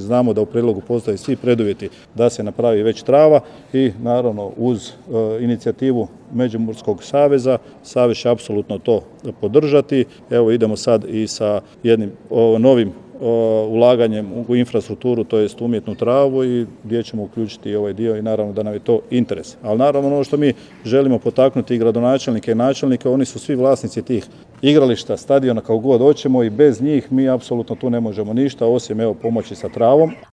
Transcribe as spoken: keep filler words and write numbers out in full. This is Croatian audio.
Znači znamo da u prijedlogu postoje svi preduvjeti da se napravi već trava i naravno uz e, inicijativu Međimurskog saveza, savez će apsolutno to podržati. Evo idemo sad i sa jednim o, novim o, ulaganjem u infrastrukturu, to jest umjetnu travu i gdje ćemo uključiti ovaj dio i naravno da nam je to interes. Ali naravno ono što mi želimo potaknuti i gradonačelnike i načelnike, oni su svi vlasnici tih igrališta, stadiona, kao god hoćemo i bez njih mi apsolutno tu ne možemo ništa osim evo pomoći sa travom.